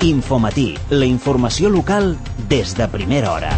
Infomatí, la informació local des de primera hora.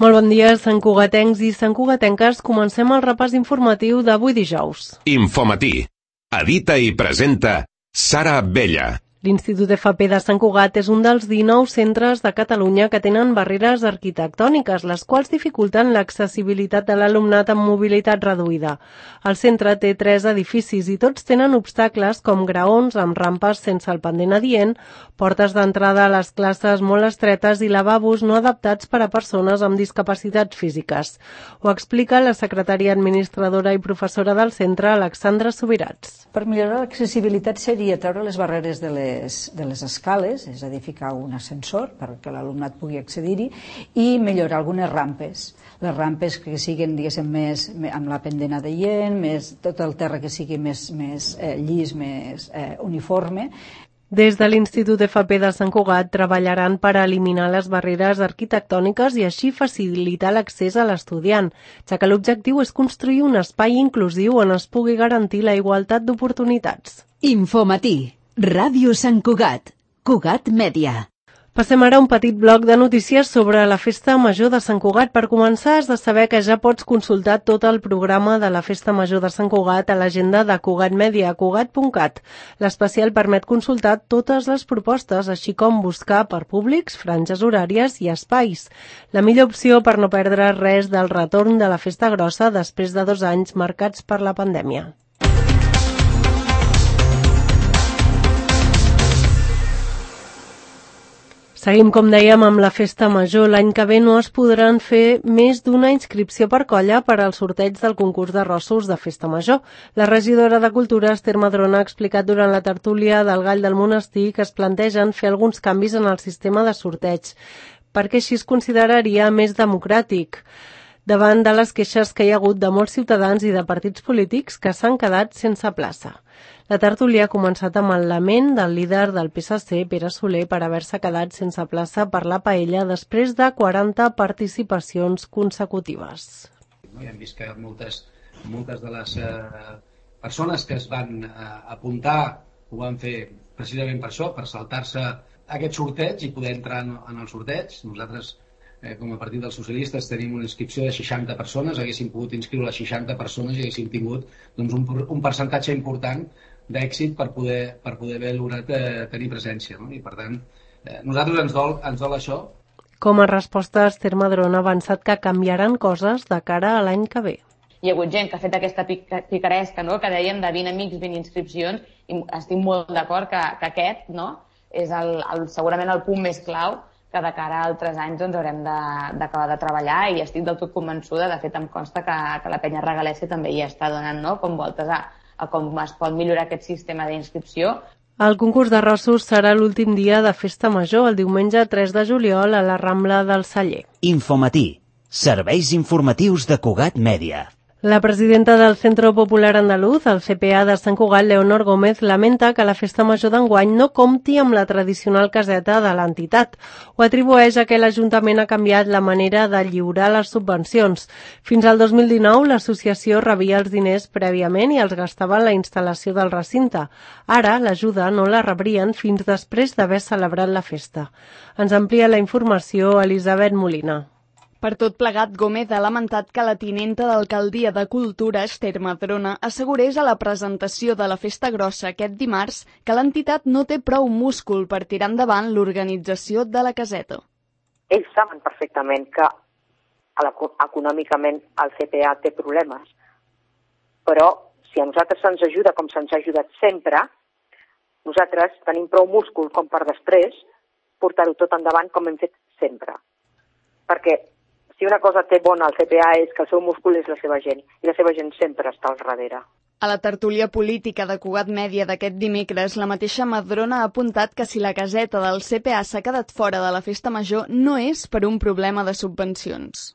Molt bon dia, santcugatencs i santcugatenques. Comencem el repàs informatiu d'avui dijous. Infomatí. Edita i presenta Sara Abella. L'Institut FP de Sant Cugat és un dels 19 centres de Catalunya que tenen barreres arquitectòniques, les quals dificulten l'accessibilitat de l'alumnat amb mobilitat reduïda. El centre té 3 edificis i tots tenen obstacles com graons amb rampes sense el pendent adient, portes d'entrada a les classes molt estretes i lavabos no adaptats per a persones amb discapacitats físiques. Ho explica la secretària administradora i professora del centre, Alexandra Subirats. Per millorar l'accessibilitat seria treure les barreres de les escales, és a dir, ficar un ascensor perquè l'alumnat pugui accedir-hi, i millorar algunes rampes. Les rampes que siguin, diguéssim, més amb la pendent adient, tot el terra que sigui més llis, més uniforme. Des de l'Institut FP de Sant Cugat treballaran per eliminar les barreres arquitectòniques i així facilitar l'accés a l'estudiant, ja que l'objectiu és construir un espai inclusiu on es pugui garantir la igualtat d'oportunitats. Infomatí, Ràdio Sant Cugat, Cugat Mèdia. Passem ara a un petit bloc de notícies sobre la Festa Major de Sant Cugat. Per començar, has de saber que ja pots consultar tot el programa de la Festa Major de Sant Cugat a l'agenda de Cugat Mèdia, cugat.cat. L'especial permet consultar totes les propostes, així com buscar per públics, franges horàries i espais. La millor opció per no perdre res del retorn de la Festa Grossa després de 2 anys marcats per la pandèmia. Seguim, com dèiem, amb la Festa Major. L'any que ve no es podran fer més d'una inscripció per colla per al sorteig del concurs de rossos de Festa Major. La regidora de Cultura, Esther Madrona, ha explicat durant la tertúlia del Gall del Monestir que es plantegen fer alguns canvis en el sistema de sorteig, perquè així es consideraria més democràtic, davant de les queixes que hi ha hagut de molts ciutadans i de partits polítics que s'han quedat sense plaça. La tertúlia ha començat amb el lament del líder del PSC, Pere Soler, per haver-se quedat sense plaça per la paella després de 40 participacions consecutives. Hem vist que moltes de les persones que es van apuntar ho van fer precisament per això, per saltar-se aquest sorteig i poder entrar en el sorteig. Nosaltres, com a partit dels socialistes, tenim una inscripció de 60 persones, haguéssim pogut inscriure les 60 persones i haguéssim tingut un percentatge important d'èxit per poder haver lograt tenir presència, no? I per tant, nosaltres ens dol això. Com a resposta, Esther Madrona ha avançat que canviaran coses de cara a l'any que ve. Hi ha hagut gent que ha fet aquesta picaresca, no?, que dèiem de 20 amics, 20 inscripcions, i estic molt d'acord que aquest, no?, és segurament el punt més clau que de cara a altres anys doncs, haurem d'acabar de treballar, i estic del tot convençuda. De fet, em consta que la penya regalèssia també hi està donant, no?, com voltes a com es pot millorar aquest sistema d'inscripció. El concurs de rossos serà l'últim dia de Festa Major, el diumenge 3 de juliol, a la Rambla del Celler. Infomatí, serveis informatius de Cugat Mèdia. La presidenta del Centro Popular Andaluz, el CPA de Sant Cugat, Leonor Gómez, lamenta que la Festa Major d'enguany no compti amb la tradicional caseta de l'entitat. Ho atribueix a que l'Ajuntament ha canviat la manera de lliurar les subvencions. Fins al 2019, l'associació rebia els diners prèviament i els gastava en la instal·lació del recinte. Ara, l'ajuda no la rebrien fins després d'haver celebrat la festa. Ens amplia la informació Elisabet Molina. Per tot plegat, Gómez ha lamentat que la tinenta d'Alcaldia de Cultura, Esther Madrona, assegurés a la presentació de la Festa Grossa aquest dimarts que l'entitat no té prou múscul per tirar endavant l'organització de la caseta. Ells saben perfectament que econòmicament el CPA té problemes, però si a nosaltres se'ns ajuda com se'ns ha ajudat sempre, nosaltres tenim prou múscul com per després portar-ho tot endavant com hem fet sempre. Perquè si una cosa té bona el CPA és que el seu múscul és la seva gent, i la seva gent sempre està al darrere. A la tertúlia política de Cugat Mèdia d'aquest dimecres, la mateixa Madrona ha apuntat que si la caseta del CPA s'ha quedat fora de la Festa Major no és per un problema de subvencions.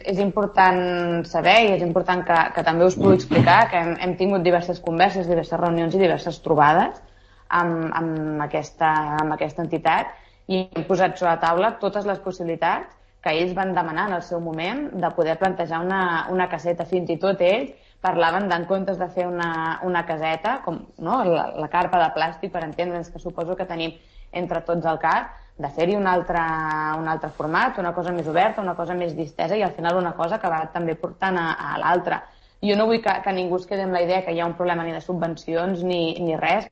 És important saber, i és important que també us pugui explicar, que hem tingut diverses converses, diverses reunions i diverses trobades amb aquesta entitat, i hem posat sobre la taula totes les possibilitats que ells van demanar en el seu moment de poder plantejar una caseta. Fins i tot ells parlaven d'en comptes de fer una caseta, com la carpa de plàstic, per entendre'ns, que suposo que tenim entre tots al cap, de fer-hi un altre format, una cosa més oberta, una cosa més distesa i al final una cosa que va també portant a l'altra. Jo no vull que ningú es quedi amb la idea que hi ha un problema ni de subvencions ni res.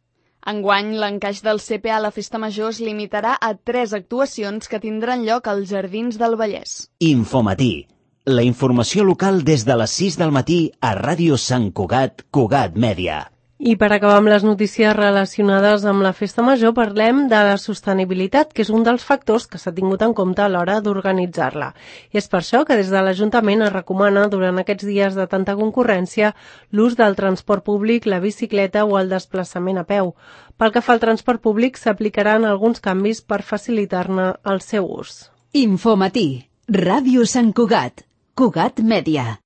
Enguany, l'encaix del CPA a la Festa Major es limitarà a 3 actuacions que tindran lloc als Jardins del Vallès. Infomatí. La informació local des de les 6 del matí a Ràdio Sant Cugat, Cugat Mèdia. I per acabar amb les notícies relacionades amb la Festa Major, parlem de la sostenibilitat, que és un dels factors que s'ha tingut en compte a l'hora d'organitzar-la. I és per això que des de l'Ajuntament es recomana, durant aquests dies de tanta concurrència, l'ús del transport públic, la bicicleta o el desplaçament a peu. Pel que fa al transport públic, s'aplicaran alguns canvis per facilitar-ne el seu ús. Infomatí. Ràdio Sant Cugat. Cugat Mèdia.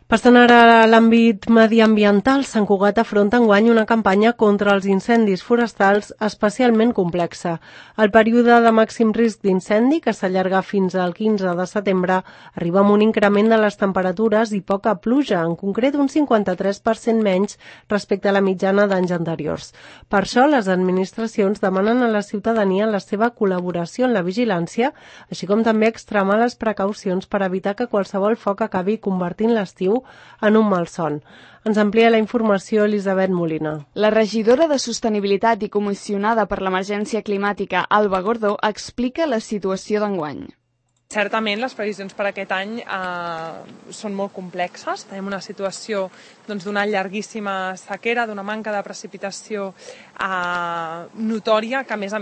Passant ara a l'àmbit mediambiental, Sant Cugat afronta enguany una campanya contra els incendis forestals especialment complexa. El període de màxim risc d'incendi, que s'allarga fins al 15 de setembre, arriba amb un increment de les temperatures i poca pluja, en concret un 53% menys respecte a la mitjana d'anys anteriors. Per això, les administracions demanen a la ciutadania la seva col·laboració en la vigilància, així com també extremar les precaucions per evitar que qualsevol foc acabi convertint l'estiu en un malson. Ens amplia la informació Elisabet Molina. La regidora de Sostenibilitat i comissionada per l'emergència climàtica, Alba Gordó, explica la situació d'enguany. Certament, les previsions per aquest any són molt complexes. Tenim una situació d'una llarguíssima sequera, d'una manca de precipitació notòria, que a més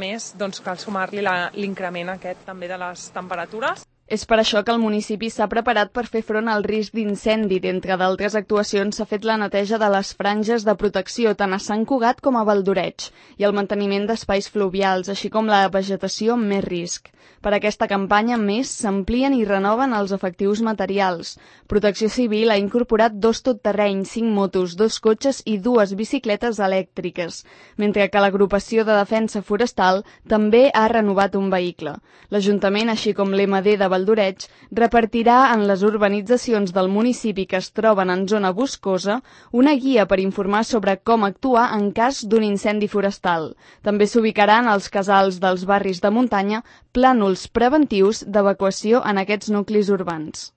cal sumar-li l'increment aquest també de les temperatures. És per això que el municipi s'ha preparat per fer front al risc d'incendi. D'entre d'altres actuacions s'ha fet la neteja de les franges de protecció tant a Sant Cugat com a Valdoreig i el manteniment d'espais fluvials, així com la vegetació amb més risc. Per aquesta campanya, més, s'amplien i renoven els efectius materials. Protecció Civil ha incorporat 2 totterrenys, 5 motos, 2 cotxes i 2 bicicletes elèctriques, mentre que l'agrupació de defensa forestal també ha renovat un vehicle. L'Ajuntament, així com l'EMD de Valdoreig, repartirà en les urbanitzacions del municipi que es troben en zona boscosa una guia per informar sobre com actuar en cas d'un incendi forestal. També s'ubicaran als casals dels barris de muntanya plànols preventius d'evacuació en aquests nuclis urbans.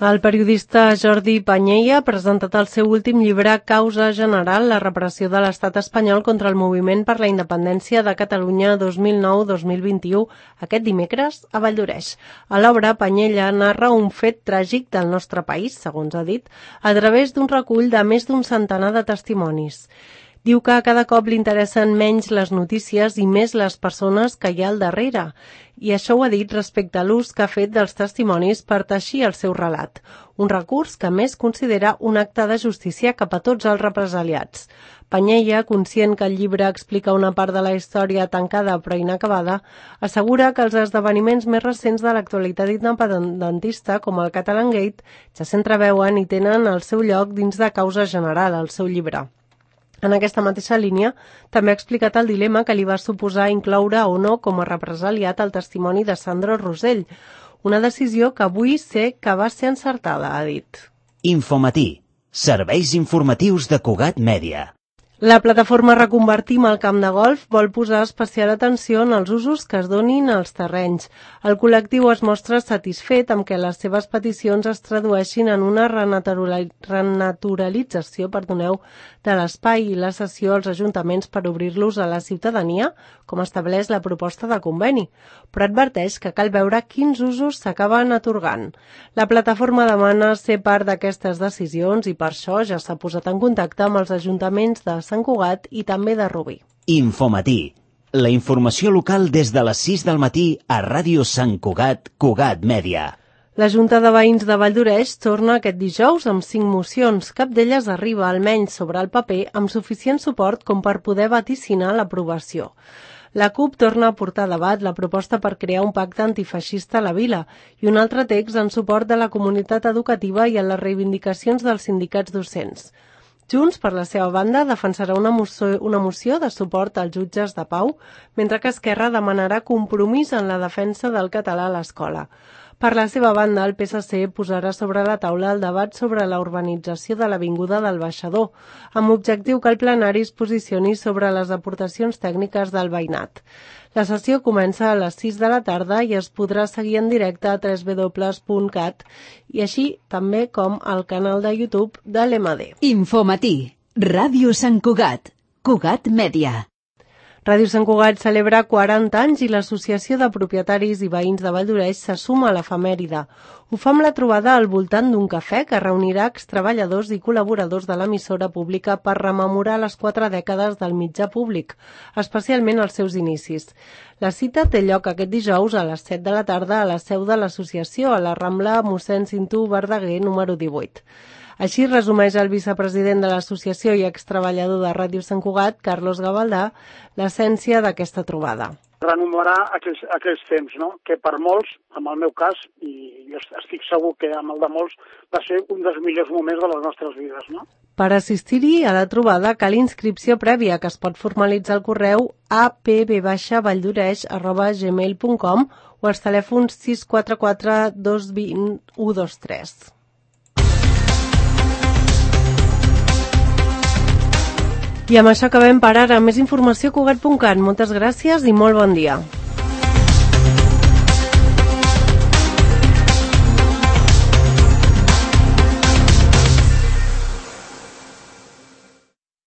El periodista Jordi Panyella ha presentat el seu últim llibre Causa General, la repressió de l'estat espanyol contra el moviment per la independència de Catalunya 2009-2021, aquest dimecres a Valldoreix. A l'obra, Panyella narra un fet tràgic del nostre país, segons ha dit, a través d'un recull de més d'un centenar de testimonis. Diu que cada cop li interessen menys les notícies i més les persones que hi ha al darrere. I això ho ha dit respecte a l'ús que ha fet dels testimonis per teixir el seu relat. Un recurs que més considera un acte de justícia cap a tots els represaliats. Panyella, conscient que el llibre explica una part de la història tancada però inacabada, assegura que els esdeveniments més recents de l'actualitat independentista, com el Catalangate, ja s'entreveuen i tenen el seu lloc dins de Causa General, el seu llibre. En aquesta mateixa línia, també ha explicat el dilema que li va suposar incloure o no com a represaliat el testimoni de Sandro Rosell, una decisió que avui sé que va ser encertada, ha dit. Infomatí, serveis informatius de Cugat Mèdia. La plataforma Reconvertim el camp de golf vol posar especial atenció en els usos que es donin als terrenys. El col·lectiu es mostra satisfet amb que les seves peticions es tradueixin en una renaturalització de l'espai i la cessió als ajuntaments per obrir-los a la ciutadania, com estableix la proposta de conveni, però adverteix que cal veure quins usos s'acaben atorgant. La plataforma demana ser part d'aquestes decisions i per això ja s'ha posat en contacte amb els ajuntaments de Sant Cugat i també de Rubí. Infomatí, la informació local des de les 6 del matí a Ràdio Sant Cugat, Cugat Mèdia. La Junta de Veïns de Valldoreix torna aquest dijous amb 5 mocions. Cap d'elles arriba, almenys sobre el paper, amb suficient suport com per poder vaticinar l'aprovació. La CUP torna a portar a debat la proposta per crear un pacte antifeixista a la vila i un altre text en suport de la comunitat educativa i a les reivindicacions dels sindicats docents. Junts, per la seva banda, defensarà una moció de suport als jutges de pau, mentre que Esquerra demanarà compromís en la defensa del català a l'escola. Per la seva banda, el PSC posarà sobre la taula el debat sobre la urbanització de l'Avinguda del Baixador, amb objectiu que el plenari es posicioni sobre les aportacions tècniques del veïnat. La sessió comença a les 6 de la tarda i es podrà seguir en directe a www.cat i així també com al canal de YouTube de l'EMAD. Infomatí, Ràdio Sant Cugat, Cugat Mèdia. Ràdio Sant Cugat celebra 40 anys i l'Associació de Propietaris i Veïns de Valldoreix se suma a l'efemèride. Ho fa amb la trobada al voltant d'un cafè que reunirà extreballadors i col·laboradors de l'emissora pública per rememorar les 4 dècades del mitjà públic, especialment els seus inicis. La cita té lloc aquest dijous a les 7 de la tarda a la seu de l'associació, a la Rambla Mossèn Cinto Verdaguer, número 18. Així resumeix el vicepresident de l'associació i extreballador de Ràdio Sant Cugat, Carlos Gavaldà, l'essència d'aquesta trobada. Rememorar aquells temps, no? Que per molts, en el meu cas, i jo estic segur que amb el de molts, va ser un dels millors moments de les nostres vides, no? Per assistir-hi a la trobada cal inscripció prèvia que es pot formalitzar al correu apb-valldoreix@gmail.com o als telèfons 644 220 123. I amb això acabem per ara. Més informació a Cugat.cat. Moltes gràcies i molt bon dia.